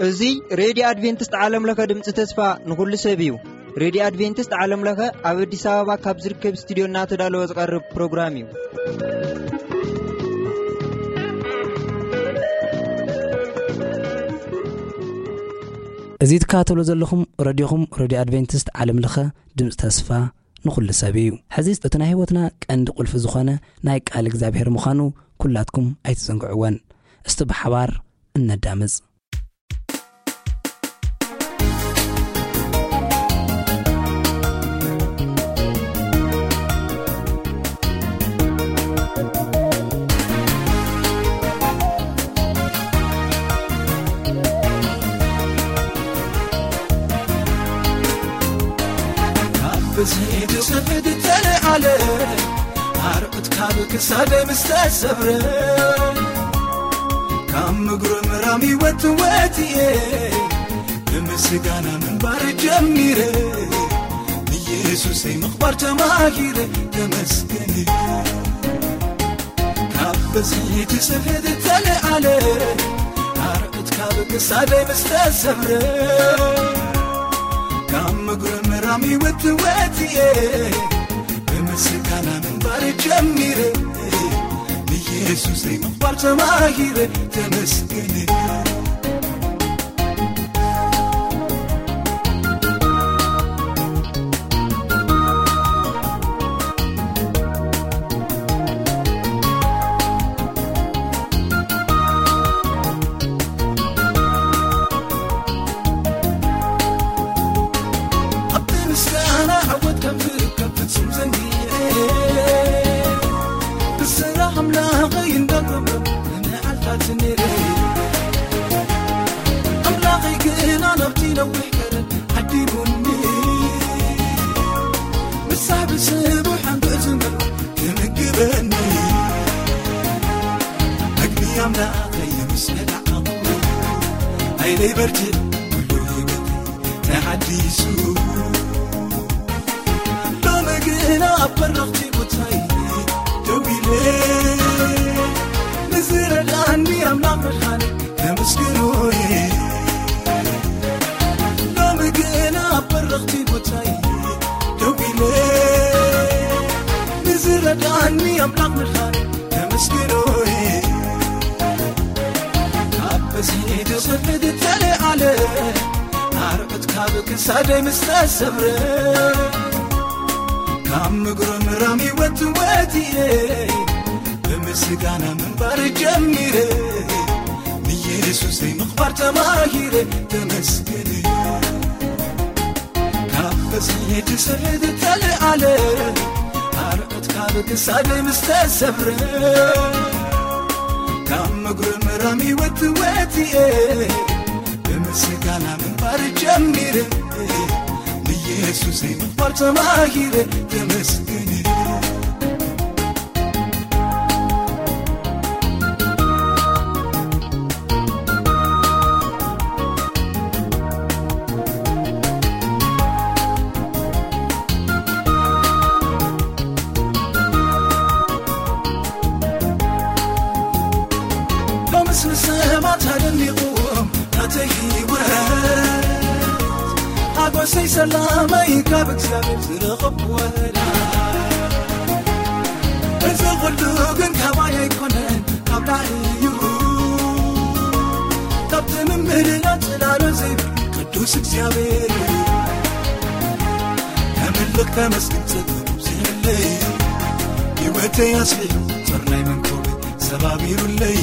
እዚ ሬድዮ ኣድቬንቲስት ዓለም ለኸ ድምፂ ተስፋ ንኹሉ ሰብ እዩ። ሬድዮ ኣድቬንቲስት ዓለም ለኸ ኣብ ኣዲስ ኣበባ ካብ ዝርከብ ስቱዲዮ እናተዳለወ ዝቐርብ ፕሮግራም እዩ። እዚ ትከታተሉ ዘለኹም ረድዮኹም ሬድዮ ኣድቬንቲስት ዓለም ለኸ ድምፂ ተስፋ ንኹሉ ሰብ እዩ። ሕዚ እቲ ናይ ህይወትና ቀንዲ ቁልፊ ዝኾነ ናይ ቃል እግዚኣብሔር ምዃኑ ኩላትኩም ኣይትዘንግዕወን። እስቲ ብሓባር እነዳምፅ። ካብ ብዝሒ ትስሕት ተለዓለ፣ ኣርዑት ካብ ክሳደይ ምስ ተሰብረ፣ ካብ ምጉርምራም ይወት ወት እየ፣ ብምስጋና ምንባር ጀሚረ፣ ንየሱሰይ ምኽባር ተማሂረ፣ ተመስገን። ካብ ብዝሒ ትስሕት ተለዓለ፣ ኣርዑት ካብ ክሳደይ ምስ ተሰብረ፣ ካብ ምጉርምራም ይወት ወት እየ፣ ብምስጋና ምንባር ጀሚረ፣ ንየሱሰይ ምኽባር ተማሂረ፣ ተመስገን። ኣብቲ ምስጋና ዓወት ከም ዝርከብ ፍጹም ዘንጊዐ፣ ብስራሕ ኣምላኸይ እንዳጎምረምኩ ንመዓልታት ነይረ። ኣምላኸይ ግና ናብቲ ነዊሕ ቀረን ዓዲሙኒ፣ ምሳሕ ብስቡሕ ኣንግዕ ዝመልኩ ክምግበኒ። መግቢ ኣምላኸይ ምስ በላዕኹ፣ ሓይለይ በርቲዑ፣ ኩሉ ህይወተይ ተሓዲሱ። ሎሚ ግና ኣብ በረኽቲ ቦታይ ደው ኢለ፣ ንዝረድኣኒ ኣምላኽ መድሓኒ ከመስግኖ እየ። ሎሚ ግና ኣብ በረኽቲ ቦታይ ደው ኢለ፣ ንዝረድኣኒ ኣምላኽ መድሓኒ ከመስግኖ እየ። ካብ በዝሒ ትስሕት ተለዓለ፣ ኣርዑት ካብ ክሳደይ ምስ ተሰብረ፣ ካብ ምጉርምራም ይወት ወት እየ፣ ብምስጋና ምንባር ጀሚረ፣ ንየሱሰይ ምኽባር ተማሂረ፣ ተመስገን። ካብ በዝሒ ትስሕት ተለዓለ፣ ኣርዑት ካብ ክሳደይ ምስ ተሰብረ፣ ካብ ምጉርምራም ይወት ወት እየ፣ ብምስጋና ምንባር ጀሚረ፣ ንየሱሰይ ምኽባር ተማሂረ፣ ተመስገን። ሎምስ ንሰባት ኣደኒቑዎም ናተይ ህይወት፣ ሓጎሰይ ሰላመይ ካብ እግዚኣብሔር ዝረኸብኩ ወላ። እዚ ኹሉ ግን ካባይ ኣይኮነን፣ ካብ ላዕሊ እዩ፣ ካብ ትምምልና ጽላሎ ዘይብል ቅዱስ እግዚኣብሔር እዩ። ከምልኽ ከመስግን ጸጥታ ዘይብለይ፣ ህይወተይ ኣስሊሑ ጾር ናይ መንኮበይ ሰባቢሩለይ።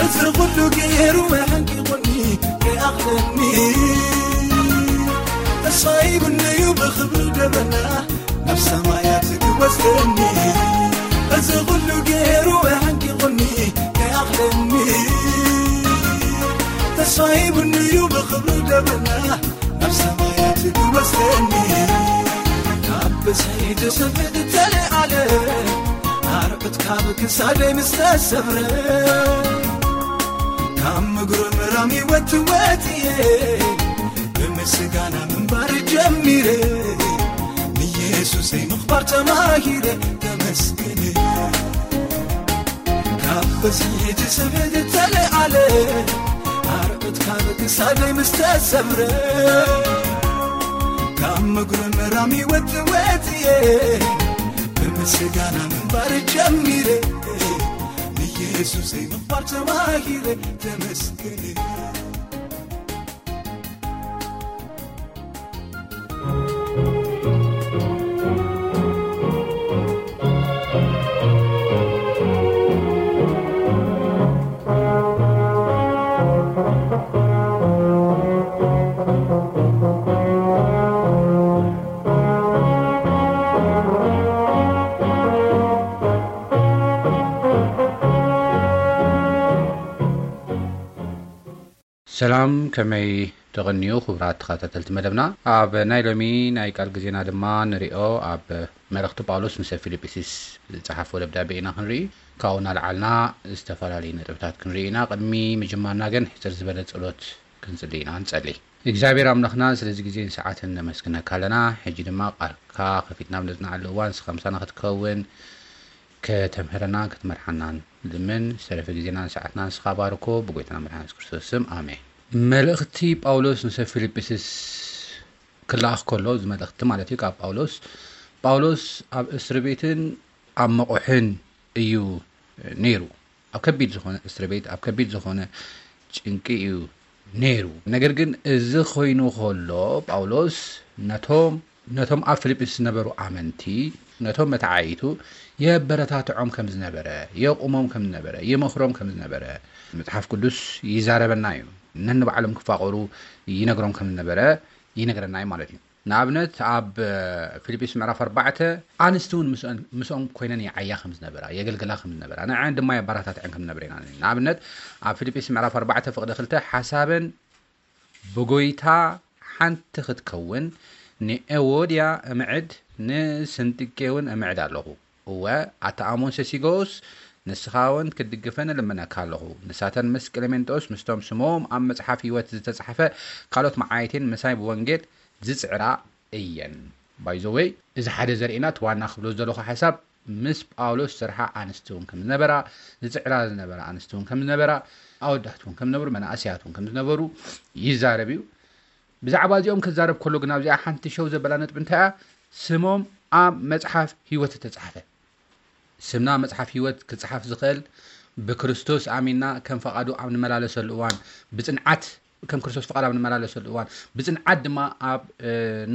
እዚ ኹሉ ገይሩ ኣሕንቂቑኒ ከይኣኽለኒ፣ ተስፋ ሂቡኒ እዩ ብኽብሪ ደበና ናብ ሰማያት ክወስደኒ። እዚ ኹሉ ገይሩ ኣሕንቂቑኒ ከይኣኽለኒ፣ ተስፋ ሂቡኒ እዩ ብኽብሪ ደበና ናብ ሰማያት ክወስደኒ። ካብ ብዝሒ ትስሕት ተለዓለ፣ ኣርዑት ካብ ክሳደይ ምስ ተሰብረ፣ ካብ ምጉርምራም ይወት ወት እየ፣ ብምስጋና ምንባር ጀሚረ፣ ንየሱሰይ ተማሂረ ተመስገን። ካብ በዝሒ እቲ ስብ ዝተለዓለ ኣርዑት ካብ ክሳደይ ምስ ተሰብረ ካብ ምጉርምራም ይወጥ ወጥየ ብምስጋና ምንባር ጀሚረ ንየሱሰይ ምንባር ተማሂረ ተመስገን። ሰላም፣ ከመይ ተቐንዩ ክቡራት ተኸታተልቲ መደብና? ኣብ ናይ ሎሚ ናይ ቃል ግዜና ድማ ንሪኦ ኣብ መልእኽቲ ጳውሎስ ንሰብ ፊልጵስዩስ ዝጸሓፎ ደብዳቤ ኢና ክንርኢ። ካብኡ እናልዓልና ዝተፈላለዩ ነጥብታት ክንርኢ ኢና። ቅድሚ ምጅማርና ግን ሕጽር ዝበለ ጸሎት ክንጽሊ ኢና። ንጸሊ። እግዚኣብሔር ኣምላኽና ስለዚ ግዜን ሰዓትን ነመስግነካ ኣለና። ሕጂ ድማ ቃልካ ከፊትና ኣብ ነጽንዓሉ እዋን ንስኻ ምሳና ክትከውን ከተምህረናን ክትመርሓናን ልምን ዝተረፈ ግዜናን ሰዓትናን ንስኻ ባርኮ ብጎይታና መድሓን የሱስ ክርስቶስ ስም ኣሜን። መልእኽቲ ጳውሎስ ንሰብ ፊልጵስስ ክለኣኽ ከሎ እዚ መልእኽቲ ማለት እዩ ካብ ጳውሎስ ጳውሎስ ኣብ እስሪ ቤትን ኣብ መቑሕን እዩ ነይሩ። ኣብ ከቢድ ዝኾነ እስሪ ቤት ኣብ ከቢድ ዝኾነ ጭንቂ እዩ ነይሩ። ነገር ግን እዚ ኮይኑ ከሎ ጳውሎስ ነቶም ነቶም ኣብ ፊልጵስ ዝነበሩ ኣመንቲ ነቶም መተዓይቱ የበረታትዖም ከም ዝነበረ የቑሞም ከም ዝነበረ የመኽሮም ከም ዝነበረ መጽሓፍ ቅዱስ ይዛረበና እዩ። ነንባዕሎም ክፋቐሩ ይነግሮም ከም ዝነበረ ይነግረና እዩ ማለት እዩ። ንኣብነት ኣብ ፊልጵስ ምዕራፍ ኣርባዕተ ኣንስቲ እውን ምስኦም ኮይነን ይዓያ ከም ዝነበራ የገልግላ ከም ዝነበራ ንዐን ድማ የባራታትዐን ከም ዝነበረ ኢና። ንኣብነት ኣብ ፊልጵስ ምዕራፍ ኣርባዕተ ፍቕዲ ክልተ ሓሳበን ብጎይታ ሓንቲ ክትከውን ንኤዎድያ እምዕድ ንስንጥቄ እውን እምዕድ ኣለኹ። እወ ኣታ ኣሞን ሰሲጎስ ንስኻ እውን ክትድግፈን እልምነካ ኣለኹ። ንሳተን ምስ ቅሌሜንጦስ ምስቶም ስሞም ኣብ መጽሓፍ ህይወት ዝተጻሕፈ ካልኦት መዓይቴን ምሳይ ብወንጌል ዝጽዕራ እየን። ባይዘወይ እዚ ሓደ ዘርእና እቲ ዋና ክብሎ ዘለኹ ሓሳብ ምስ ጳውሎስ ስርሓ ኣንስቲ እውን ከም ዝነበራ ዝፅዕራ ዝነበራ ኣንስቲ እውን ከም ዝነበራ ኣወዳት እውን ከም ዝነበሩ መናእሰያት እውን ከም ዝነበሩ ይዛረብ እዩ። ብዛዕባ እዚኦም ክዛረብ ከሎ ግን ኣብዚኣ ሓንቲ ሸው ዘበላ ነጥቢ እንታይ እያ? ስሞም ኣብ መፅሓፍ ህይወት ዝተፃሕፈ ስምና መፅሓፍ ህይወት ክፅሓፍ ዝኽእል ብክርስቶስ ኣሚንና ከም ፈቓዱ ኣብ ንመላለሰሉ እዋን ብፅንዓት ከም ክርስቶስ ፍቓድ ኣብ ንመላለሰሉ እዋን ብፅንዓት ድማ ኣብ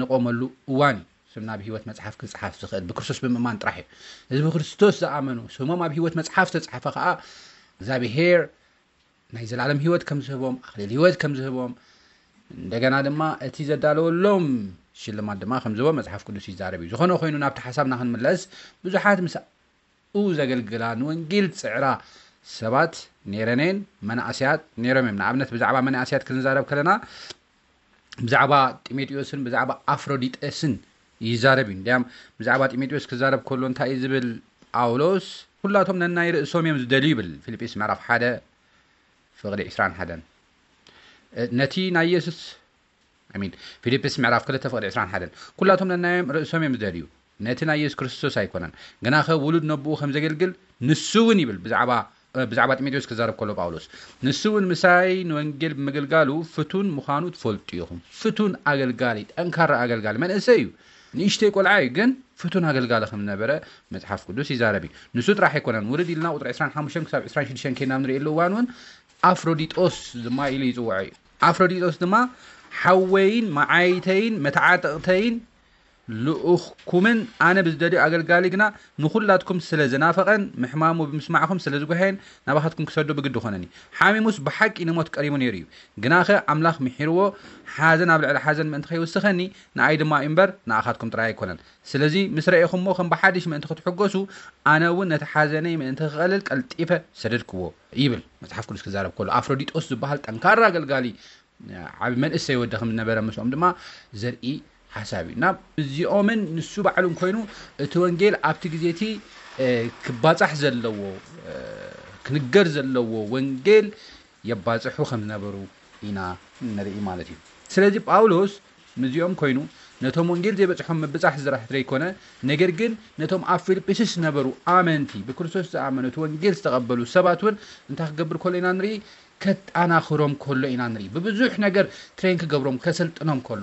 ንቆመሉ እዋን እዩ። ስምና ብህይወት መፅሓፍ ክፅሓፍ ዝኽእል ብክርስቶስ ብምእማን ጥራሕ እዩ። እዚ ብክርስቶስ ዝኣመኑ ስሞም ኣብ ህይወት መፅሓፍ ዝተፅሓፈ ከዓ እግዚኣብሄር ናይ ዘላለም ህይወት ከም ዝህቦም ኣክሊል ህይወት ከም ዝህቦም እንደገና ድማ እቲ ዘዳለወሎም ሽልማት ድማ ከም ዝህቦም መፅሓፍ ቅዱስ ይዛረብ እዩ። ዝኾነ ኮይኑ ናብቲ ሓሳብና ክንምለስ ብዙሓት ምስ ኡ ዘገልግላ ንወንጌል ዝፅዕራ ሰባት ነይረን እየን። መናእሰያት ነይሮም እዮም። ንኣብነት ብዛዕባ መናእሰያት ክንዛረብ ከለና ብዛዕባ ጢሞቴዎስን ብዛዕባ ኣፍሮዲጠስን ይዛረብ እዩ። እንዲያም ብዛዕባ ጢሞቴዎስ ክዛረብ ከሎ እንታይ እዩ ዝብል ጳውሎስ? ኩላቶም ነናይ ርእሶም እዮም ዝደልዩ ይብል ፊልጲስ ምዕራፍ ሓደ ፍቕዲ ዕስራን ሓደን። ነቲ ናይ የሱስ I mean ፊልፕስ ምዕራፍ ክልተ ፍቕዲ ዕስራን ሓደን ኩላቶም ነናዮም ርእሶም እዮም ዝደልዩ ነቲ ናይ የሱስ ክርስቶስ ኣይኮነን ግናኸ ውሉድ ነብኡ ከም ዘገልግል ንሱ እውን ይብል ብዛዕባ ብዛዕባ ጢሞቴዎስ ክዛረብ ከሎ ጳውሎስ ንሱ እውን ምሳይ ንወንጌል ብምግልጋሉ ፍቱን ምዃኑ ትፈልጡ ኢኹም። ፍቱን ኣገልጋሊ ጠንካራ ኣገልጋሊ መንእሰይ እዩ ንእሽተይ ቆልዓ እዩ ግን ፍቱን ኣገልጋሊ ከም ዝነበረ መፅሓፍ ቅዱስ ይዛረብ እዩ። ንሱ ጥራሕ ኣይኮነን ውርድ ኢልና ቁፅሪ ዕስራን ሓሙሽተን ክሳብ ዕስራን ሽዱሽተን ከይና ንርእየሉ እዋን እውን ኣፍሮዲጦስ ድማ ኢሉ ይፅውዖ እዩ። ኣፍሮዲጦስ ድማ ሓወይን መዓይተይን መተዓጠቕተይን ልኡኽኩምን ኣነ ብዝደልዮ ኣገልጋሊ ግና ንኹላትኩም ስለ ዝናፈቐን ምሕማሙ ብምስማዕኹም ስለ ዝጉሃየን ናባኻትኩም ክሰዶ ብግዲ ኾነኒ። ሓሚሙስ ብሓቂ ንሞት ቀሪቡ ነይሩ እዩ። ግናኸ ኣምላኽ ምሒርዎ ሓዘን ኣብ ልዕሊ ሓዘን ምእንቲ ከይውስኸኒ ንኣይ ድማ እዩ እምበር ንኣኻትኩም ጥራይ ኣይኮነን። ስለዚ ምስ ረኤኹሞ ከም ብሓድሽ ምእንቲ ክትሕጎሱ ኣነ እውን ነቲ ሓዘነይ ምእንቲ ክቐልል ቀልጢፈ ሰደድክዎ ይብል መጽሓፍ ቅዱስ ክዛረብ ከሎ ኣፍሮዲጦስ ዝበሃል ጠንካራ ኣገልጋሊ ዓቢ መንእሰይ ወዲ ከም ዝነበረ ምስኦም ድማ ዘርኢ ሓሳብ እዩ እና እዚኦምን ንሱ ባዕሉን ኮይኑ እቲ ወንጌል ኣብቲ ግዜ እቲ ክባጻሕ ዘለዎ ክንገር ዘለዎ ወንጌል የባጽሑ ከም ዝነበሩ ኢና ንርኢ ማለት እዩ። ስለዚ ጳውሎስ ምስዚኦም ኮይኑ ነቶም ወንጌል ዘይበጽሖም ምብጻሕ ዝራሕ ዘይኮነ፣ ነገር ግን ነቶም ኣብ ፊልጵስዩስ ዝነበሩ ኣመንቲ፣ ብክርስቶስ ዝኣመኑ፣ እቲ ወንጌል ዝተቐበሉ ሰባት እውን እንታይ ክገብር ከሎ ኢና ንርኢ? ከጣናኽሮም ከሎ ኢና ንርኢ። ብብዙሕ ነገር ትሬን ክገብሮም፣ ከሰልጥኖም ከሎ፣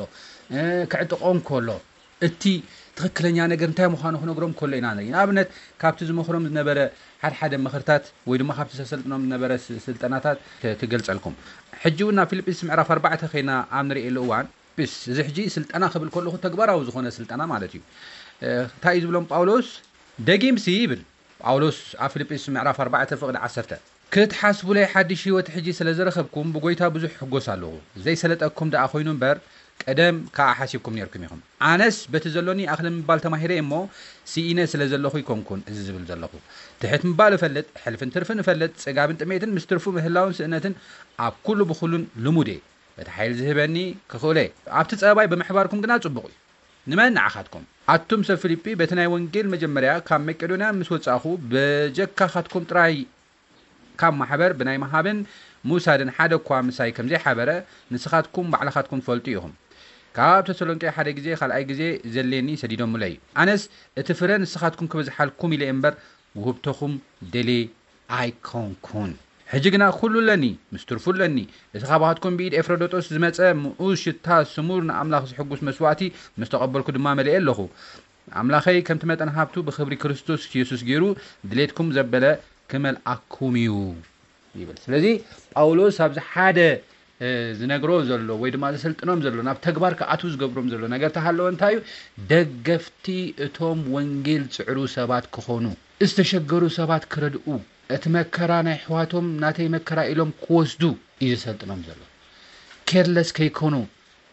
እ፣ ክዕጥቖም ከሎ፣ እቲ ትኽክለኛ ነገር እንታይ ምዃኑ ክነግሮም ከሎ ኢና ንርኢ። ንኣብነት፣ ካብቲ ዝመኽሮም ዝነበረ ሓድሓደ ምኽርታት ወይ ድማ ካብቲ ዘሰልጥኖም ዝነበረ ስ-፣ ስልጠናታት ክ-፣ ክገልጸልኩም። ሕጂ እውን ናብ ፊልጵስዩስ ምዕራፍ ኣርባዕተ ኸይና ኣብ ንርእየሉ እዋን፣ ፕስ፣ እዚ ሕጂ ስልጠና ክብል ከለኹ ተግባራዊ ዝኾነ ስልጠና ማለት እዩ። እ፣ እንታይ እዩ ዝብሎም ጳውሎስ? ደጊምሲ ይብል ጳውሎስ ኣብ ፊልጵስዩስ ምዕራፍ ኣርባዕተ ፍቕዲ ዓሰርተ፣ "ክትሓስቡለይ ሓድሽ ህይወት ሕጂ ስለ ዝረኸብኩም ብጎይታ ብዙሕ ሕጎስ ኣለኹ። ዘይሰለጠኩም ደኣ ኮይኑ እምበር ቀደም ከኣ ሓሲብኩም ኔርኩም ኢኹም። ኣነስ በቲ ዘሎኒ ኣኽለ ምባል ተማሂረ እሞ ስኢነ ስለ ዘለኹ ይኮንኩን እዚ ዝብል ዘለኹ። ትሕት ምባል እፈልጥ፣ ሕልፍን ትርፍን እፈልጥ፣ ጽጋብን ጥሜትን ምስ ትርፉ ምህላውን ስእነትን ኣብ ኩሉ ብኹሉን ልሙድ እየ። በቲ ሓይሊ ዝህበኒ ክኽእሎ እየ። ኣብቲ ጸባይ ብምሕባርኩም ግና ጽቡቕ እዩ። ንመን? ንዓኻትኩም። ኣቱም ሰብ ፊልጲ፣ በቲ ናይ ወንጌል መጀመርያ ካብ መቄዶንያ ምስ ወጻእኹ፣ በጀካኻትኩም ጥራይ ካብ ማሕበር ብናይ ምሃብን ምውሳድን ሓደ እኳ ምሳይ ከም ዘይሓበረ፣ ንስኻትኩም ባዕልኻትኩም ትፈልጡ ኢኹም። ካብ ተሰሎንቄ ሓደ ግዜ፣ ካልኣይ ግዜ ዘልየኒ ሰዲዶምለይ። ኣነስ እቲ ፍረ ንስኻትኩም ክበዝሓልኩም ኢለ እምበር፣ ውህብቶኹም ደልየ ኣይኮንኩን። ሕጂ ግና ኩሉ ኣለኒ፣ ምስ ትርፉ ኣለኒ። እቲ ካባኻትኩም ብኢድ ኤፍረዶጦስ ዝመጸ ምኡዝ ሽታ ስሙር ንኣምላኽ ዝሕጉስ መስዋእቲ ምስ ተቐበልኩ ድማ መሊኤ ኣለኹ። ኣምላኸይ ከምቲ መጠን ሃብቱ ብኽብሪ ክርስቶስ የሱስ ገይሩ ድሌትኩም ዘበለ ክመልኣኩም እዩ" ይብል። ስለዚ ጳውሎስ ኣብዚ ሓደ፣ እ፣ ዝነግሮ ዘሎ ወይ ድማ ዘሰልጥኖም ዘሎ፣ ናብ ተግባር ክኣትዉ ዝገብሮም ዘሎ ነገር ተሃለወ እንታይ እዩ? ደገፍቲ እቶም ወንጌል ዝጽዕሩ ሰባት ክኾኑ፣ ዝተሸገሩ ሰባት ክረድኡ፣ እቲ መከራ ናይ ኣሕዋቶም ናተይ መከራ ኢሎም ክወስዱ እዩ ዘሰልጥኖም ዘሎ። ኬርለስ ከይኮኑ፣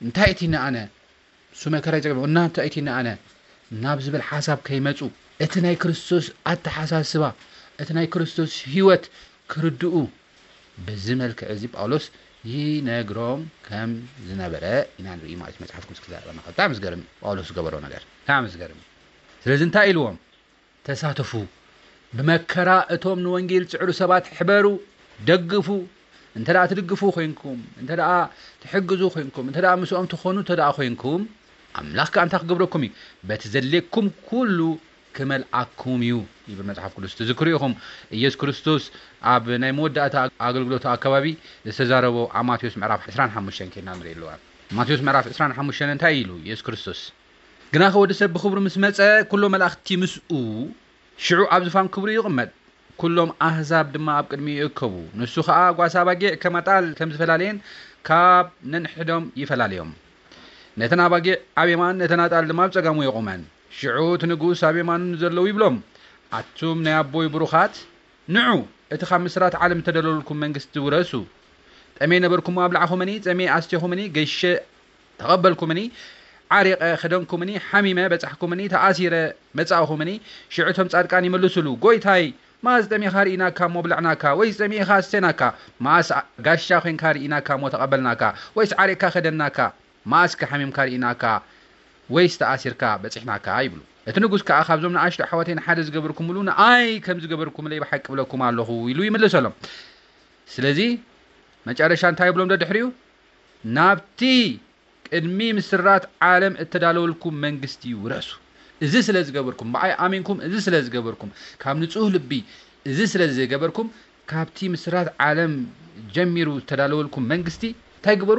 እንታይ እቲ ንኣነ እሱ መከራ ይጸግብ፣ እና እንታይ እቲ ንኣነ ናብ ዝብል ሓሳብ ከይመጹ፣ እቲ ናይ ክርስቶስ ኣተሓሳስባ፣ እቲ ናይ ክርስቶስ ህይወት ክርድኡ፣ በዚ መልክዕ እዚ ጳውሎስ ይነግሮም ከም ዝነበረ ኢና ንርኢ ማለት እዩ። መጽሓፍ ቅዱስ ክዛረበና ከሎ ብጣዕሚ ዝገርም እዩ ጳውሎስ ዝገበሮ ነገር፣ ብጣዕሚ ዝገርም እዩ። ስለዚ እንታይ ኢልዎም? "ተሳተፉ፣ ብመከራ እቶም ንወንጌል ዝጽዕሩ ሰባት ሕበሩ፣ ደግፉ። እንተ ደኣ ትድግፉ ኮይንኩም፣ እንተ ደኣ ትሕግዙ ኮይንኩም፣ እንተ ደኣ ምስኦም ትኾኑ እንተ ደኣ ኮይንኩም፣ ኣምላኽ ከኣ እንታይ ክገብረኩም እዩ? በቲ ዘድልየኩም ኩሉ ክመልኣኩም እዩ" ይብል መጽሓፍ ቅዱስ። ትዝክሩ ኢኹም፣ ኢየሱስ ክርስቶስ ኣብ ናይ መወዳእታ ኣገልግሎቱ ኣከባቢ ዝተዛረቦ ኣብ ማቴዎስ ምዕራፍ ዕስራን ሓሙሽተን ኬድና ንርኢ ኣለዋ። ማቴዎስ ምዕራፍ ዕስራን ሓሙሽተን እንታይ ኢሉ ኢየሱስ ክርስቶስ? "ግናኸ ወዲ ሰብ ብኽብሩ ምስ መጸ፣ ኩሎም መላእኽቲ ምስኡ፣ ሽዑ ኣብ ዝፋን ክብሩ ይቕመጥ። ኩሎም ኣህዛብ ድማ ኣብ ቅድሚኡ ይእከቡ። ንሱ ኸኣ ጓሳ ኣባጊዕ ከም ኣጣል ከም ዝፈላለየን ካብ ነንሕዶም ይፈላለዮም። ነተን ኣባጊዕ ኣብ የማን፣ ነተን ኣጣል ድማ ኣብ ጸጋሙ የቑመን። ሽዑ እቲ ንጉስ ኣብ የማኑ ንዘለዉ ይብሎም፣ ኣቱም ናይ ኣቦይ ብሩኻት፣ ንዑ፣ እቲ ካብ ምስራት ዓለም እተደለወልኩም መንግስቲ ውረሱ። ጠሜ ነበርኩሞ ኣብላዕኹምኒ፣ ጸሜ ኣስቴኹምኒ፣ ገይሸ ተቐበልኩምኒ፣ ዓሪቐ ኸደንኩምኒ፣ ሓሚመ በጻሕኩምኒ፣ ተኣሲረ መጻእኹምኒ። ሽዑ እቶም ጻድቃን ይመልሱሉ፣ ጎይታይ፣ መኣስ ጠሚኻ ርኢናካ እሞ ኣብላዕናካ? ወይስ ጸሚእኻ ኣስቴናካ? መኣስ ጋሻ ኾይንካ ርኢናካ እሞ ተቐበልናካ? ወይስ ዓሪቕካ ኸደንናካ? መኣስ ከ ሓሚምካ ርኢናካ? ወይስ ተኣሲርካ በጺሕናካ?" ይብሉ። እቲ ንጉስ ከኣ፣ "ካብዞም ንኣሽቱ ኣሕዋተይ ንሓደ ዝገበርኩምሉ ንኣይ ከም ዝገበርኩምለይ ብሓቂ እብለኩም ኣለኹ" ኢሉ ይምልሰሎም። ስለዚ መጨረሻ እንታይ ይብሎም ደድሕሪኡ? "ናብቲ ቅድሚ ምስራት ዓለም እተዳለወልኩም መንግስቲ ውረሱ። እዚ ስለ ዝገበርኩም፣ ብኣይ ኣሚንኩም፣ እዚ ስለ ዝገበርኩም፣ ካብ ንጹህ ልቢ እዚ ስለ ዝገበርኩም፣ ካብቲ ምስራት ዓለም ጀሚሩ ዝተዳለወልኩም መንግስቲ እንታይ ግበሩ?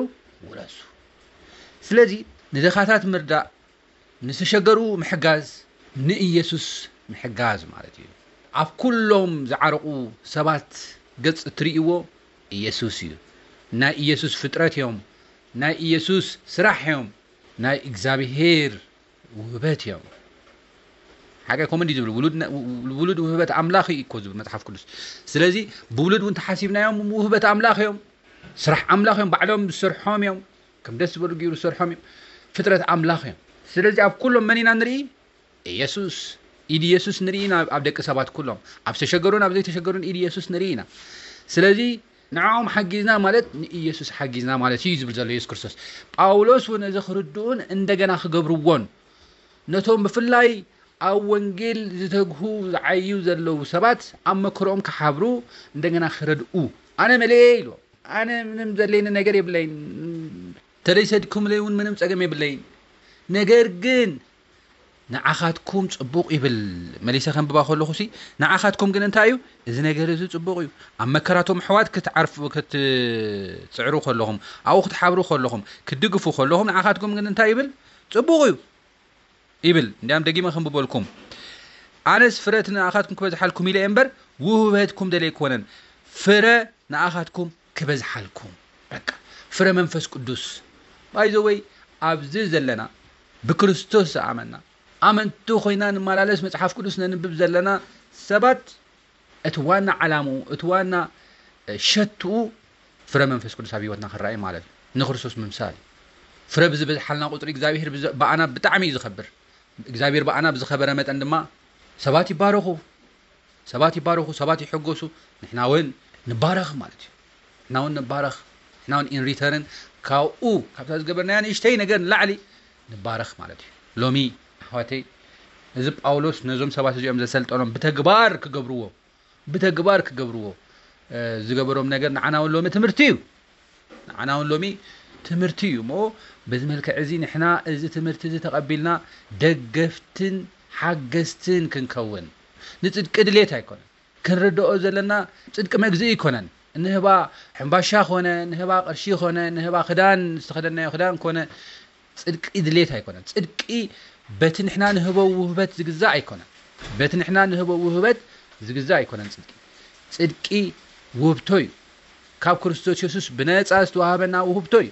ውረሱ።" ስለዚ ንድኻታት ምርዳእ፣ ንዝተሸገሩ ምሕጋዝ፣ ንኢየሱስ ምሕጋዝ ማለት እዩ። ኣብ ኩሎም ዝዓረቑ ሰባት ገጽ እትርእይዎ ኢየሱስ እዩ። ናይ ኢየሱስ ፍጥረት እዮም። ናይ ኢየሱስ ስራሕ እዮም። ናይ እግዚኣብሄር ውህበት እዮም። ሓቀ ኮመ እንዲ ዝብሉ፣ ውሉድ ነ-፣ ውሉድ ውህበት ኣምላኽ እዩ እኮ ዝብል መጽሓፍ ቅዱስ። ስለዚ ብውሉድ እውን ተሓሲብናዮም ውህበት ኣምላኽ እዮም። ስራሕ ኣምላኽ እዮም። ባዕሎም ዝሰርሖም እዮም። ከም ደስ ዝበሉ ገይሩ ዝሰርሖም እዮም። ፍጥረት ኣምላኽ እዮም። ስለዚ ኣብ ኩሎም መን ኢና ንርኢ? ኢየሱስ። ኢድ ኢየሱስ ንርኢ ኢና ኣብ ደቂ ሰባት ኩሎም። ኣብ ዝተሸገሩን ኣብ ዘይተሸገሩን ኢድ ኢየሱስ ንርኢ ኢና። ስለዚ ንዕኦም ሓጊዝና ማለት ንኢየሱስ ሓጊዝና ማለት እዩ ዝብል ዘሎ ኢየሱስ ክርስቶስ። ጳውሎስ እውን እዚ ክርድኡን እንደገና ክገብርዎን ነቶም ብፍላይ ኣብ ወንጌል ዝተግሁ ዝዓዩ ዘለዉ ሰባት ኣብ መከርኦም ክሓብሩ እንደገና ክረድኡ ኣነ መለየ ኢሉ። ኣነ ምንም ዘድለየኒ ነገር የብለይን። ተደይሰድኩምለይ እውን ምንም ጸገም የብለይን። ነገር ግን ንዓኻትኩም ጽቡቕ ይብል። መሊሰ ከንብባ ከለኹ ሲ ንዓኻትኩም ግን እንታይ እዩ? እዚ ነገር እዚ ጽቡቕ እዩ። ኣብ መከራቶም ኣሕዋት ክትዓርፉ ክትጽዕሩ ከለኹም ኣብኡ ክትሓብሩ ከለኹም ክትድግፉ ከለኹም ንዓኻትኩም ግን እንታይ ይብል? ጽቡቕ እዩ ይብል። እንዲያም ደጊመ ከንብበልኩም ኣነስ ፍረ እቲ ንኣኻትኩም ክበዝሓልኩም ኢለ እየ እምበር ውህበትኩም ደለ ኣይኮነን። ፍረ ንኣኻትኩም ክበዝሓልኩም በቃ ፍረ መንፈስ ቅዱስ ባይዘወይ ኣብዚ ዘለና ብክርስቶስ ዝኣመና ኣመንቲ ኮይና ንመላለስ መፅሓፍ ቅዱስ ነንብብ ዘለና ሰባት እቲ ዋና ዓላምኡ እቲ ዋና ሸትኡ ፍረ መንፈስ ቅዱስ ኣብ ህይወትና ክረኣይ ማለት እዩ። ንክርስቶስ ምምሳል እዩ። ፍረ ብዝበዝሓልና ቁፅሪ እግዚኣብሄር ብኣና ብጣዕሚ እዩ ዝኸብር። እግዚኣብሄር ብኣና ብዝኸበረ መጠን ድማ ሰባት ይባረኹ፣ ሰባት ይባረኹ፣ ሰባት ይሕጎሱ፣ ንሕና እውን ንባረኽ ማለት እዩ። ንሕና እውን ንባረኽ፣ ንሕና እውን ኢንሪተርን ካብኡ ካብታ ዝገበርናያ ንእሽተይ ነገር ንላዕሊ ንባረኽ ማለት እዩ። ሎሚ ኣሕዋተይ እዚ ጳውሎስ ነዞም ሰባት እዚኦም ዘሰልጠኖም ብተግባር ክገብርዎ ብተግባር ክገብርዎ ዝገበሮም ነገር ንዓና እውን ሎሚ ትምህርቲ እዩ። ንዓና እውን ሎሚ ትምህርቲ እዩ እሞ በዚ መልክዕ እዚ ንሕና እዚ ትምህርቲ እዚ ተቐቢልና ደገፍትን ሓገዝትን ክንከውን ንፅድቂ ድሌት ኣይኮነን ክንርድኦ ዘለና ፅድቂ መግዝኢ ኣይኮነን ንህባ ሕምባሻ ኮነ ንህባ ቅርሺ ኮነ ንህባ ክዳን ዝተኸደናዮ ክዳን ኮነ ፅድቂ ድሌት ኣይኮነን። ፅድቂ በቲ ንሕና ንህቦ ውህበት ዝግዛእ ኣይኮነን። በቲ ንሕና ንህቦ ውህበት ዝግዛእ ኣይኮነን ፅድቂ። ፅድቂ ውህብቶ እዩ። ካብ ክርስቶስ የሱስ ብነፃ ዝተዋሃበና ውህብቶ እዩ።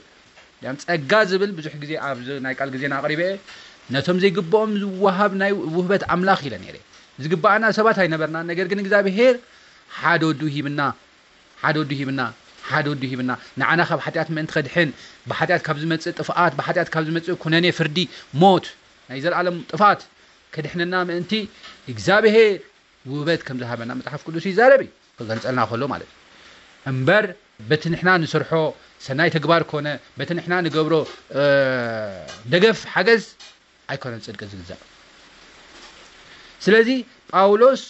ያም ፀጋ ዝብል ብዙሕ ግዜ ኣብዚ ናይ ቃል ግዜና ኣቕሪበ እየ። ነቶም ዘይግብኦም ዝወሃብ ናይ ውህበት ኣምላኽ ኢለ ነይረ። ዝግባኣና ሰባት ኣይነበርና። ነገር ግን እግዚኣብሄር ሓደ ወዱ ሂብና ሓደ ወዱ ሂብና ሓደ ወዱ ሂብና ንዓና ካብ ሓጢኣት ምእንቲ ከድሕን ብሓጢኣት ካብ ዝመፅእ ጥፍኣት ብሓጢኣት ካብ ዝመፅእ ኩነኔ ፍርዲ ሞት ናይ ዘለኣለም ጥፍኣት ከድሕነና ምእንቲ እግዚኣብሄር ውህበት ከም ዝሃበና መፅሓፍ ቅዱስ ይዛረብ እዩ ክገልፀልና ከሎ ማለት እዩ እምበር በቲ ንሕና ንሰርሖ ሰናይ ተግባር ኮነ በቲ ንሕና ንገብሮ ደገፍ ሓገዝ ኣይኮነን ፅድቂ ዝግዛእ ስለዚ ጳውሎስ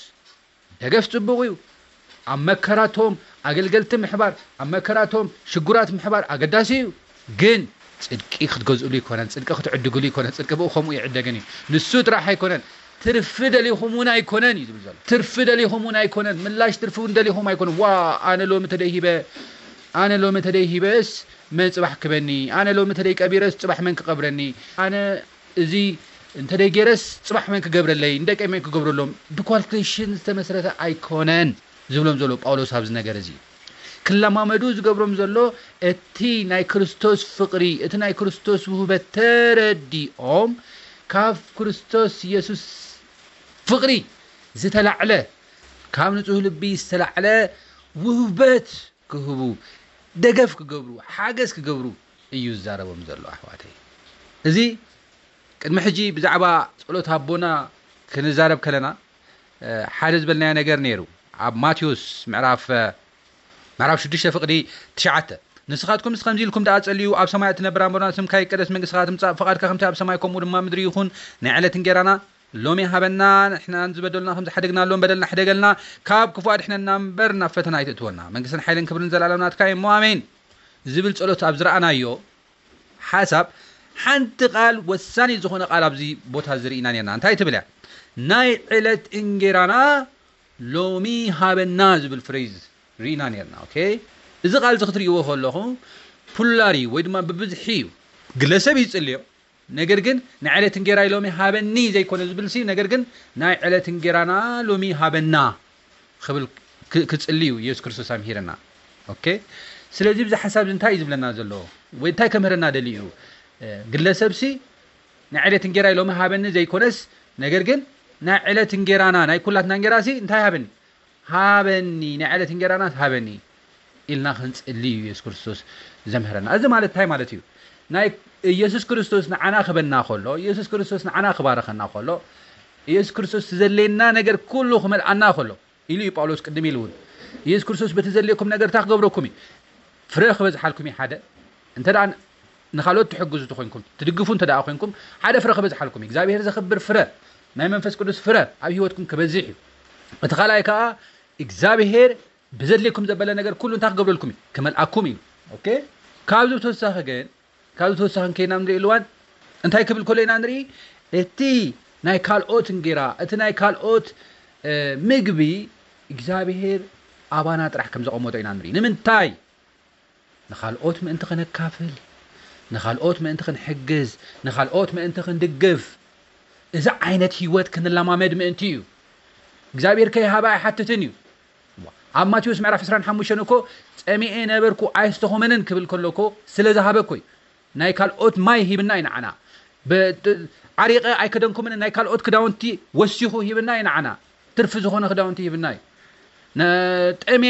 ደገፍ ጽቡቕ እዩ። ኣብ መከራቶም ኣገልገልቲ ምሕባር፣ ኣብ መከራቶም ሽጉራት ምሕባር ኣገዳሲ እዩ። ግን ጽድቂ ክትገዝእሉ ይኮነን፣ ጽድቂ ክትዕድግሉ ይኮነን፣ ጽድቂ ብኡ ከምኡ ይዕደግን እዩ። ንሱ ጥራሕ ኣይኮነን፣ ትርፊ ደሊኹም እውን ኣይኮነን እዩ ዝብል ዘሎ። ትርፊ ደሊኹም እውን ኣይኮነን፣ ምላሽ ትርፊ እውን ደሊኹም ኣይኮነን። ዋ ኣነ ሎሚ ተደይሂበ፣ ኣነ ሎሚ ተደይሂበስ መን ጽባሕ ክበኒ፣ ኣነ ሎሚ ተደይ ቀቢረስ ጽባሕ መን ክቐብረኒ፣ ኣነ እዚ እንተደይ ገይረስ ጽባሕ መን ክገብረለይ ንደቀይ መን ክገብረሎም ብኳልኩሌሽን ዝተመስረተ ኣይኮነን ዝብሎም ዘሎ ጳውሎስ ኣብዚ ነገር እዚ ክለማመዱ ዝገብሮም ዘሎ እቲ ናይ ክርስቶስ ፍቕሪ እቲ ናይ ክርስቶስ ውህበት ተረዲኦም ካብ ክርስቶስ የሱስ ፍቕሪ ዝተላዕለ ካብ ንጹህ ልቢ ዝተላዕለ ውህበት ክህቡ ደገፍ ክገብሩ ሓገዝ ክገብሩ እዩ ዝዛረቦም ዘሎ ኣሕዋተይ እዚ ቅድሚ ሕጂ ብዛዕባ ጸሎት ኣቦና ክንዛረብ ከለና ሓደ ዝበልናዮ ነገር ነይሩ ኣብ ማቴዎስ ምዕራፍ ምዕራፍ ሽዱሽተ ፍቕዲ ትሽዓተ ንስኻትኩም ከምዚ ኢልኩም ደኣ ጸልዩ ኣብ ሰማይ እትነብር ኣቦና ስምካ ይቀደስ መንግስትኻ ትምጻእ ፍቓድካ ከምቲ ኣብ ሰማይ ከምኡ ድማ ምድሪ ይኹን ናይ ዕለት እንጌራና ሎሚ ሃበና ንሕናን ዝበደሉና ከም ዝሓደግናሎም በደልና ሕደገልና ካብ ክፉእ ኣድሕነና እምበር ናብ ፈተና ኣይትእትወና መንግስትን ሓይልን ክብርን ዘላለም ናትካ እዩ እሞ ኣሜን ዝብል ጸሎት ኣብ ዝረኣናዮ ሓሳብ ሓንቲ ቃል ወሳኒ ዝኾነ ቃል ኣብዚ ቦታ ዝርኢና ነርና እንታይ ትብል እያ ናይ ዕለት እንጌራና ሎሚ ሃበና ዝብል ፍሬዝ ርኢና ነርና ኦኬ እዚ ቃል እዚ ክትርእይዎ ከለኹ ፑላሪ ወይ ድማ ብብዝሒ እዩ ግለሰብ ይጽልዮ ነገር ግን ንዕለት እንጌራይ ሎሚ ሃበኒ ዘይኮነ ዝብል ሲ ነገር ግን ናይ ዕለት እንጌራና ሎሚ ሃበና ክብል ክጽሊ እዩ ኢየሱስ ክርስቶስ ኣምሂርና ኦኬ ስለዚ ብዚ ሓሳብ እንታይ እዩ ዝብለና ዘሎ ወይ እንታይ ከምህረና ደሊ እዩ ግለሰብ ሲ ንዕለት እንጌራይ ሎሚ ሃበኒ ዘይኮነስ ነገር ግን ናይ ዕለት እንጌራና ናይ ኩላትና እንጌራ ሲ እንታይ ሃበኒ ሃበኒ ናይ ዕለት እንጌራና ሃበኒ ኢልና ክንጽሊ እዩ ኢየሱስ ክርስቶስ ዘምህረና። እዚ ማለት እንታይ ማለት እዩ? ናይ ኢየሱስ ክርስቶስ ንዓና ክበና ከሎ፣ ኢየሱስ ክርስቶስ ንዓና ክባረኸና ከሎ፣ ኢየሱስ ክርስቶስ ዝዘለየና ነገር ኩሉ ክመልኣና ከሎ ኢሉ እዩ ጳውሎስ ቅድም ኢሉ እውን ኢየሱስ ክርስቶስ በቲ ዘድልየኩም ነገር እንታይ ክገብረኩም እዩ? ፍረ ክበዝሓልኩም እዩ ሓደ እንተ ንኻልኦት ትሕግዙ ተኮይንኩም ትድግፉ እንተ ደኣ ኮይንኩም ሓደ ፍረ ክበዝሓልኩም እዩ እግዚኣብሔር ዘኽብር ፍረ ናይ መንፈስ ቅዱስ ፍረ ኣብ ህይወትኩም ክበዝሕ እዩ እቲ ካልኣይ ከዓ እግዚኣብሔር ብዘድልየኩም ዘበለ ነገር ኩሉ እንታይ ክገብረልኩም እዩ ክመልኣኩም እዩ ኦኬ ካብዚ ብተወሳኺ ግን ካብዚ ተወሳኺ ከይና ንሪኦ ልዋን እንታይ ክብል ከሎ ኢና ንርኢ? እቲ ናይ ካልኦት እንጌራ፣ እቲ ናይ ካልኦት ምግቢ እግዚኣብሄር ኣባና ጥራሕ ከም ዘቐመጦ ኢና ንርኢ። ንምንታይ? ንኻልኦት ምእንቲ ከነካፍል፣ ንኻልኦት ምእንቲ ክንሕግዝ፣ ንኻልኦት ምእንቲ ክንድግፍ፣ እዚ ዓይነት ህይወት ክንለማመድ ምእንቲ እዩ። እግዚኣብሔር ከይሃበ ኣይሓትትን እዩ። ኣብ ማቴዎስ ምዕራፍ ዕስራን ሓሙሽተን እኮ ጸሚኤ ነበርኩ ኣይስተኾመንን ክብል ከሎ እኮ ስለ ዝሃበ እኮ እዩ። ናይ ካልኦት ማይ ሂብና እዩ ንዓና። ዓሪቐ ኣይከደንኩምን፣ ናይ ካልኦት ክዳውንቲ ወሲኹ ሂብና እዩ ንዓና። ትርፊ ዝኾነ ክዳውንቲ ሂብና እዩ። ጠሜ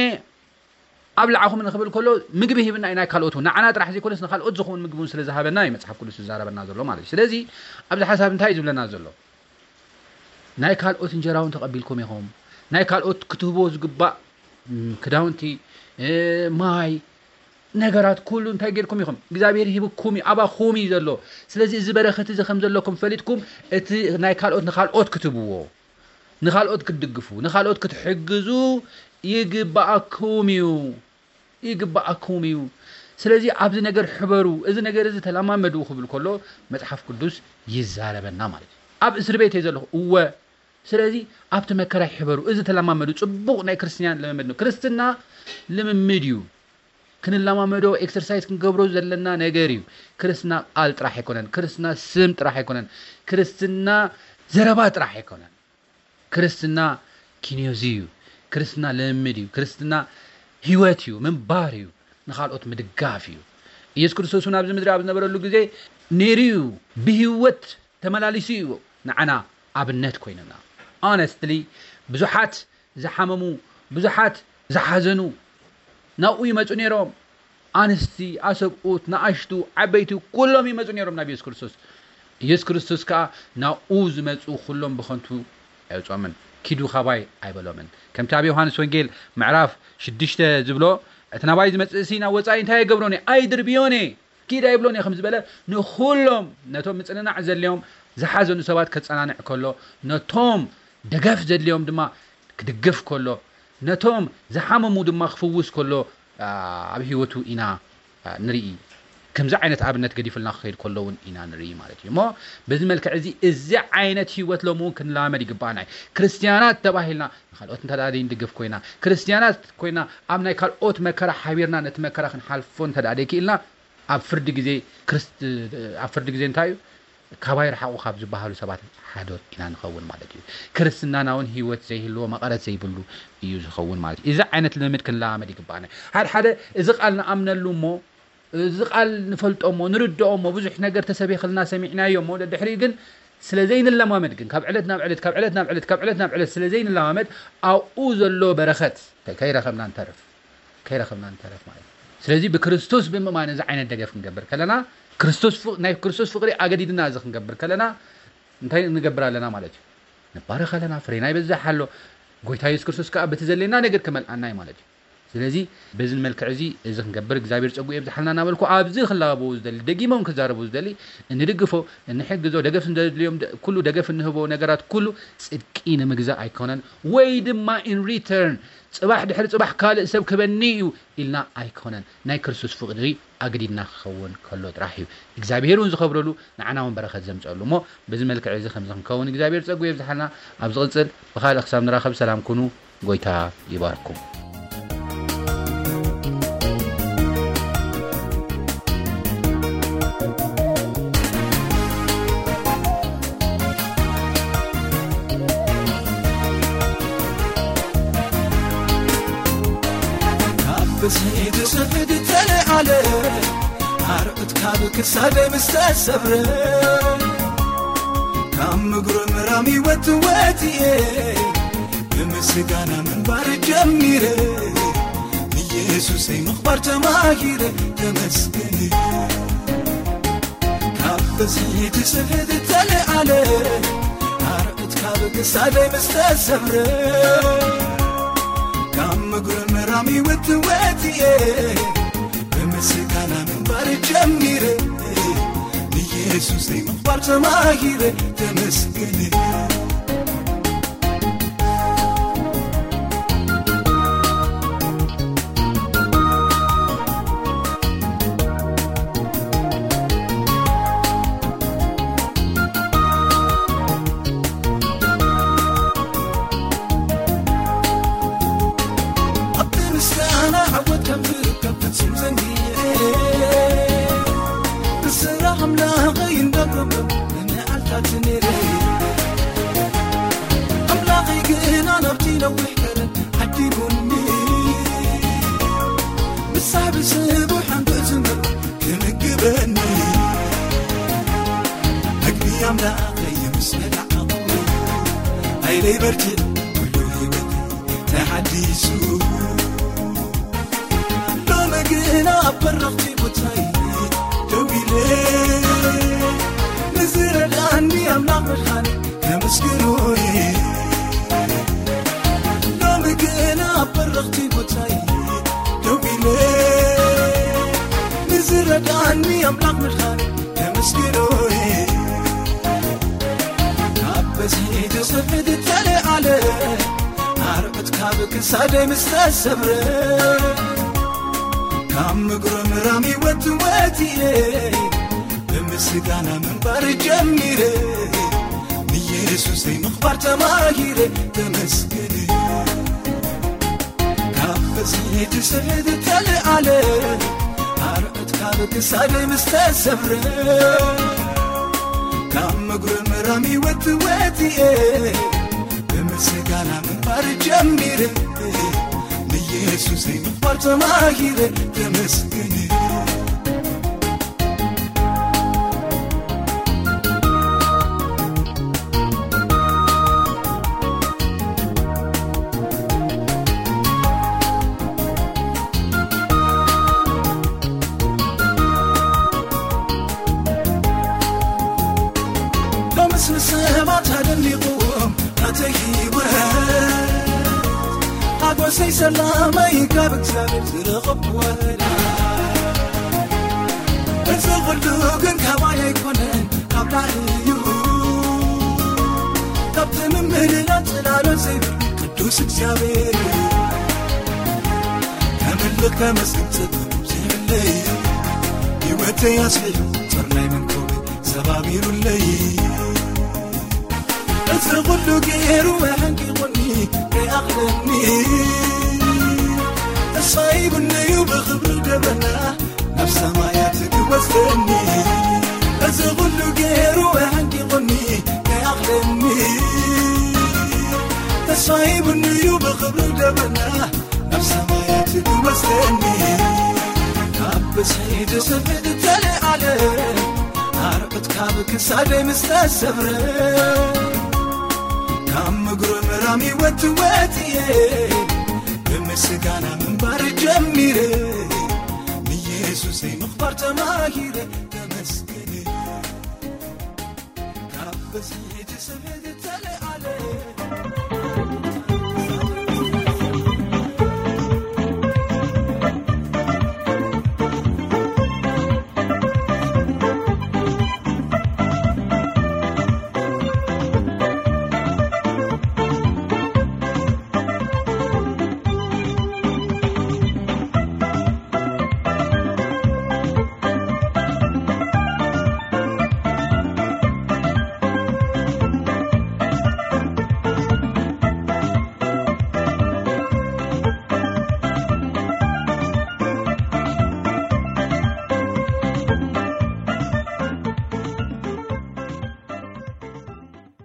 ኣብ ላዕኹም ንኽብል ከሎ ምግቢ ሂብና እዩ ናይ ካልኦት እውን። ንዓና ጥራሕ ዘይኮነስ ንካልኦት ዝኸውን ምግቢ እውን ስለ ዝሃበና እዩ መጽሓፍ ቅዱስ ዝዛረበና ዘሎ ማለት እዩ። ስለዚ ኣብዚ ሓሳብ እንታይ እዩ ዝብለና ዘሎ? ናይ ካልኦት እንጀራ እውን ተቐቢልኩም ኢኹም። ናይ ካልኦት ክትህብዎ ዝግባእ ክዳውንቲ፣ ማይ፣ ነገራት ኩሉ እንታይ ጌርኩም ኢኹም? እግዚኣብሔር ሂብኩም እዩ፣ ኣባኹም እዩ ዘሎ። ስለዚ እዚ በረኸት እዚ ከም ዘለኩም ፈሊጥኩም እቲ ናይ ካልኦት ንካልኦት ክትህብዎ፣ ንኻልኦት ክትድግፉ፣ ንኻልኦት ክትሕግዙ ይግባኣኩም እዩ። ይግባኣኩም እዩ። ስለዚ ኣብዚ ነገር ሕበሩ፣ እዚ ነገር እዚ ተለማመዱ ክብል ከሎ መጽሓፍ ቅዱስ ይዛረበና ማለት እዩ። ኣብ እስር ቤት እየ ዘለኹ፣ እወ። ስለዚ ኣብቲ መከራ ይሕበሩ፣ እዚ ተለማመዱ። ጽቡቕ ናይ ክርስትያን ልምምድ ነው። ክርስትና ልምምድ እዩ። ክንለማመዶ ኤክሰርሳይዝ ክንገብሮ ዘለና ነገር እዩ። ክርስትና ቃል ጥራሕ ኣይኮነን፣ ክርስትና ስም ጥራሕ ኣይኮነን፣ ክርስትና ዘረባ ጥራሕ ኣይኮነን። ክርስትና ኪንዮዚ እዩ። ክርስትና ልምምድ እዩ። ክርስትና ህይወት እዩ፣ ምንባር እዩ፣ ንኻልኦት ምድጋፍ እዩ። ኢየሱስ ክርስቶስ እውን ኣብዚ ምድሪ ኣብ ዝነበረሉ ግዜ ነይሩ እዩ፣ ብህይወት ተመላሊሱ እዩ፣ ንዓና ኣብነት ኮይኑና። ኦነስትሊ ብዙሓት ዝሓመሙ፣ ብዙሓት ዝሓዘኑ ናብኡ ይመፁ ነይሮም። ኣንስቲ፣ ኣሰብኡት፣ ንኣሽቱ፣ ዓበይቲ ኩሎም ይመፁ ነይሮም ናብ ኢየሱስ ክርስቶስ። ኢየሱስ ክርስቶስ ከዓ ናብኡ ዝመፁ ኩሎም ብኸንቱ ኣይወፅኦምን፣ ኪዱ ካባይ ኣይበሎምን። ከምቲ ኣብ ዮሃንስ ወንጌል ምዕራፍ ሽዱሽተ ዝብሎ፣ እቲ ናባይ ዝመፅእሲ ናብ ወፃኢ እንታይ ኣይገብሮን እየ? ኣይድርብዮን እየ። ኪድ ኣይብሎን እየ ከም ዝበለ፣ ንኹሎም ነቶም ምፅንናዕ ዘድልዮም ዝሓዘኑ ሰባት ከፀናንዕ ከሎ፣ ነቶም ደገፍ ዘድልዮም ድማ ክድግፍ ከሎ፣ ነቶም ዝሓመሙ ድማ ክፍውስ ከሎ ኣብ ህይወቱ ኢና ንርኢ። ከምዚ ዓይነት ኣብነት ገዲፉልና ክኸይድ ከሎ እውን ኢና ንርኢ ማለት እዩ። እሞ በዚ መልክዕ እዚ፣ እዚ ዓይነት ህይወት ሎሚ እውን ክንለማመድ ይግባኣና እዩ። ክርስትያናት ተባሂልና ንካልኦት እንተ ደኣ ዘይንድግፍ ኮይና፣ ክርስትያናት ኮይና ኣብ ናይ ካልኦት መከራ ሓቢርና ነቲ መከራ ክንሓልፎ እንተ ደኣ ዘይክኢልና፣ ኣብ ፍርዲ ግዜ ክርስት-፣ ኣብ ፍርዲ ግዜ እንታይ እዩ? ካባይ ርሓቑ ካብ ዝበሃሉ ሰባት ሓደ ኢና ንኸውን ማለት እዩ። ክርስትናና እውን ህይወት ዘይህልዎ፣ መቐረት ዘይብሉ እዩ ዝኸውን ማለት እዩ። እዚ ዓይነት ልምምድ ክንለማመድ ይግባኣና። ሓደ ሓደ እዚ ቃል ንኣምነሉ እሞ፣ እዚ ቃል ንፈልጦ እሞ፣ ንርድኦ እሞ፣ ብዙሕ ነገር ተሰቢኽልና ሰሚዕናዮ እሞ፣ ደድሕሪኡ ግን ስለ ዘይንለማመድ ግን፣ ካብ ዕለት ናብ ዕለት፣ ካብ ዕለት ናብ ዕለት፣ ካብ ዕለት ናብ ዕለት ስለ ዘይንለማመድ፣ ኣብኡ ዘሎ በረኸት ከይረኸብና ንተርፍ። ከይረኸብና ንተርፍ ማለት እዩ። ስለዚ ብክርስቶስ ብምእማን እዚ ዓይነት ደገፍ ክንገብር ከለና፣ ክርስቶስ ፍ-፣ ናይ ክርስቶስ ፍቕሪ ኣገዲድና እዚ ክንገብር ከለና፣ እንታይ ንገብር ኣለና ማለት እዩ? ንባረኽ ኣለና፣ ፍሬና ይበዝሕ ኣሎ። ጎይታ የሱስ ክርስቶስ ከኣ በቲ ዘድልየና ነገር ክመልኣና እዩ ማለት እዩ። ስለዚ በዚ መልክዕ እዚ፣ እዚ ክንገብር እግዚኣብሔር ጸጉ የብዝሓልና እናበልኩ፣ ኣብዚ ክላበቡ ዝደሊ፣ ደጊሞም ክዛረቡ ዝደሊ፣ እንድግፎ፣ እንሕግዞ፣ ደገፍ እንደድልዮም ደ-፣ ኩሉ ደገፍ እንህቦ ነገራት ኩሉ ጽድቂ ንምግዛእ ኣይኮነን፣ ወይ ድማ in return ጽባሕ ድሕሪ ጽባሕ ካልእ ሰብ ክበኒ እዩ ኢልና ኣይኮነን። ናይ ክርስቶስ ፍቕሪ ኣግዲድና ክኸውን ከሎ ጥራሕ እዩ እግዚኣብሔር እውን ዝኸብረሉ፣ ንዓና እውን በረኸት ዘምጸሉ። እሞ በዚ መልክዕ እዚ ከምዚ ክንከውን እግዚኣብሔር ጸጉ የብዝሓልና። ኣብ ዝቕጽል ብኻልእ ክሳብ ንራኸብ ሰላም ኩኑ። ጎይታ ይባርኩም። ካብ ብስሒት ስሕት ተለዓለ፣ ኣርዑት ካብ ክሳደይ ምስ ተሰብረ፣ ካብ ምጉርምራም ይወት ወት እየ፣ ብምስጋና ምንባር ጀሚረ፣ ንየሱሰይ ምኽባር ተማሂረ፣ ተመስገን። ካብ ብስሒት ስሕት ተለዓለ፣ ኣርዑት ካብ ክሳደይ ምስ ተሰብረ፣ ካብ ምጉርምራም ይወት ወት እየ፣ ብምስጋና ምንባር ጀሚረ፣ ንየሱሰይ ምኽባር ተማሂረ፣ ተመስገን። ሰላም ሓይለይ በርትዕ፣ ኩሉ ህይወት ተሓዲሱ። ሎሚ ግና ኣብ በረኽቲ ቦታይ ደው ኢለ፣ ንዝረዳእኒ ኣምላኽ መድሓኒ ከመስግኖ እየ። ሎሚ ግና ኣብ በረኽቲ ቦታይ ደው ኢለ፣ ንዝረዳእኒ ኣምላኽ መድሓኒ ከመስግኖ እየ። ካብ በዝሒ ትስሕት ተለዓለ፣ ኣርዑት ካብ ክሳደይ ምስ ተሰብረ፣ ካብ ምጉርምራም ህይወት ወፂኤ፣ ብምስጋና ምንባር ጀሚረ፣ ንየሱሰይ ምኽባር ተማሂረ፣ ተመስገን። ካብ በዝሒ ትስሕት ተለዓለ፣ ኣርዑት ካብ ክሳደይ ምስ ተሰብረ፣ ካብ ምጉርምራም ህይወት ወፂኤ፣ ብምስጋና ምንባር ጀሚረ፣ ንየሱሰይ ምኽባር ተማሂረ፣ ተመስገን። ሎምስ ንሰባት ኣደኒቑዎም ናተይ ህይወት፣ ሓጎሰይ ሰላመይ ካብ እግዚኣብሔር ዝረኸብኩ ወረዳ። እዚ ኩሉ ግን ካባይ ኣይኮነን፣ ካብ ላዕሊ እዩ፣ ካብቲ ምምልላል ጽላሎት ዘይብሉ ቅዱስ እግዚኣብሔር እዩ። ከምልኽ ከመስግን ጽድቁ ዘይብለይ፣ ህይወተይ ኣስፊሑ ጦር ናይ መንኮበይ ሰባቢሩለይ። እዚ ኩሉ ገይሩ ኣሕንቂቑኒ ከይኣኽለኒ፣ ተስፋ ሂቡኒ እዩ ብኽብሪ ደበና ናብ ሰማያት ክወስደኒ። እዚ ኩሉ ገይሩ ኣሕንቂቑኒ ከይኣኽለኒ፣ ተስፋ ሂቡኒ እዩ ብኽብሪ ደበና ናብ ሰማያት ክወስደኒ። ካብ ብዝሒ ትስሕት ተለዓለ፣ ኣርዑት ካብ ክሳደይ ምስ ተሰብረ፣ ካብ ምጉርምራም ህይወት ወፅኤ፣ ብምስጋና ምንባር ጀሚረ፣ ንየሱሰይ ምኽባር ተማሂረ፣ ተመስገን። ካብ ብዝሒ ትስሕት ተለዓለ፣